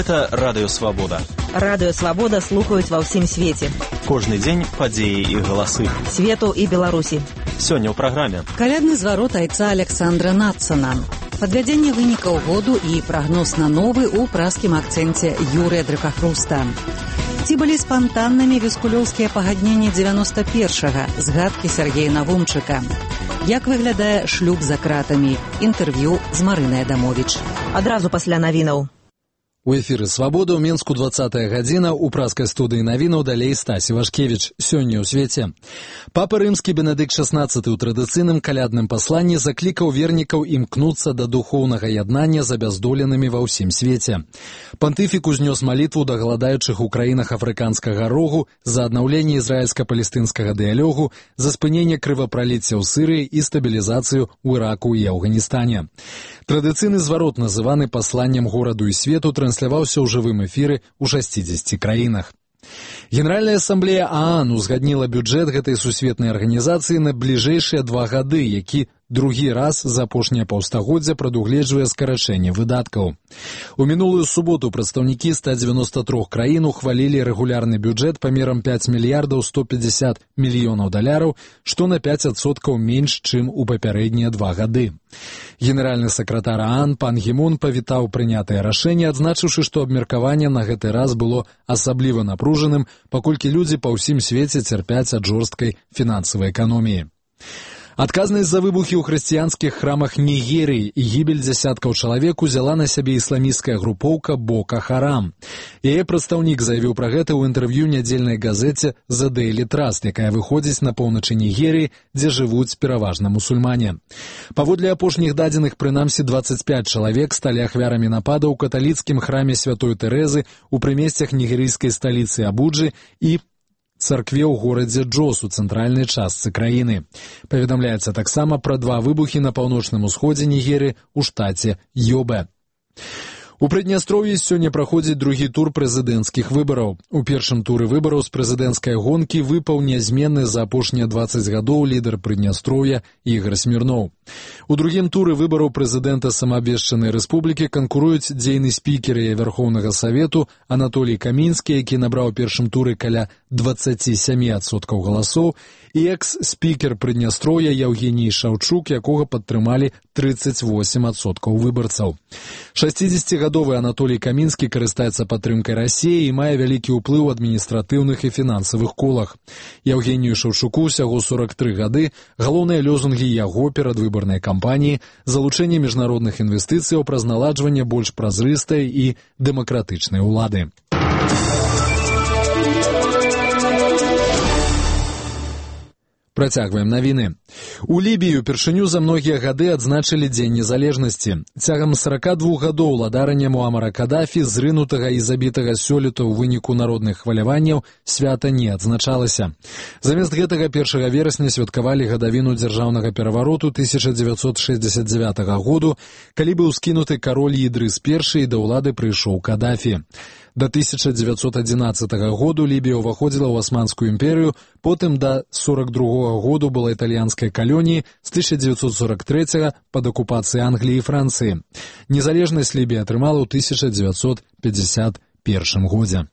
Гэта Радыё Свабода. Радыё Свабода слухаюць ва ўсім свеце. Кожны дзень падзеі і галасы. Свету і Беларусі. Сёння ў праграме. Калядны зварот айца Александра Надсона. Падвядзенне вынікаў году і прагноз на новы ў праскім акцэнце Юрыя Дракахруста. Ці былі спантаннымі віскулёўскія пагадненні 91-га, згадкі Сергея Навумчыка. Як выглядае шлюб за кратамі? Інтэрв'ю з Марынай Адамовіч. Адразу пасля навінаў. У эфіры «Свабода» ў Менску 20-я гадзіна, у праскай студыі навінаў далей Стасі Вашкевіч. Сёння ў свеце. Папа рымскі Бенедыкт XVI ў традыцыйным калядным пасланні заклікаў вернікаў імкнуцца да духоўнага яднання з абяздоленымі ва ўсім свеце. Пантыфік узнёс малітву да галадаючых у краінах афрыканскага рогу за аднаўленне ізраільска-палестынскага дыялогу, за спыненне крывапраліцця ў Сырыі і стабілізацыю ў Іраку і Афганістане. Традыцыйны зварот, называны пасланнем гораду і свету, трансляваўся ў жывым эфіры ў 60 краінах. Генеральная ассамблея ААН узгадніла бюджэт гэтай сусветнай арганізацыі на бліжэйшыя 2 гады, які другі раз за апошняе паўстагоддзя прадугледжвае скарачэнне выдаткаў. У мінулую суботу прадстаўнікі 193 краін ухвалілі рэгулярны бюджэт памерам 5 мільярдаў 150 мільёнаў даляраў, што на 5% менш, чым у папярэднія 2 гады. Генеральны сакратар ААН пан Гі Мун павітаў прынятае рашэнне, адзначыўшы, што абмеркаванне на гэты раз было асабліва напружаным, паколькі людзі па ўсім свеце цярпяць ад жорсткай фінансавай эканоміі. Адказнасць за выбухі ў хрысціянскіх храмах Нігерыі і гібель дзясяткаў чалавек узяла на сябе ісламісцкая групоўка Бока Харам. Яе прадстаўнік заявіў пра гэта ў інтэрв'ю нядзельнай газеце The Daily Trust, якая выходзіць на поўначы Нігерыі, дзе жывуць пераважна мусульмане. Паводле апошніх дадзеных, прынамсі 25 чалавек сталі ахвярамі напада ў каталіцкім храме Святой Тэрэзы ў прымесцях нігерыйскай сталіцы Абуджы і царкве ў горадзе Джос у цэнтральнай частцы краіны. Паведамляецца таксама пра 2 выбухі на паўночным усходзе Нігерыі ў штаце Йобе. У Прыднястроўі сёння праходзіць другі тур прэзідэнцкіх выбараў. У першым туры выбараў з прэзідэнцкай гонкі выпаў нязменны за апошнія 20 гадоў лідар Прыднястроўя Ігар Смірноў. У другім туры выбараў прэзідэнта самаабвешчанай рэспублікі канкуруюць дзейны спікер Верхоўнага Савету Анатолій Камінскі, які набраў у першым туры каля 27% галасоў, і экс-спікер Прыднястроўя Яўгеній Шаўчук, якога падтрымалі 38% выбарцаў. 60-гадовы Анатолій Камінскі карыстаецца падтрымкай Расіі і мае вялікі ўплыў у адміністратыўных і фінансавых колах. Яўгенію Шаўчуку ўсяго 43 гады, галоўныя лозунгі яго перадвыбарнай кампаніі – залучэнне міжнародных інвестыцыяў праз наладжванне больш празрыстай і дэмакратычнай улады. Працягваем навіны. У Лібіі упершыню за многія гады адзначылі Дзень незалежнасці. Цягам 42 гадоў ладарання Муамара Кадафі, зрынутага і забітага сёлета ў выніку народных хваляванняў, свята не адзначалася. Замест гэтага 1 верасня святкавалі гадавіну дзяржаўнага перавароту 1969 году, калі быў скінуты кароль Ідрыс I і да ўлады прыйшоў Кадафі. До 1911 году Лібія ўваходзіла ў Асманскую імперыю, потым да 1942 году была італьянскай калоніяй, з 1943 пад акупацыяй Англіі і Францыі. Незалежнасць Лібія атрымала ў 1951 годзе.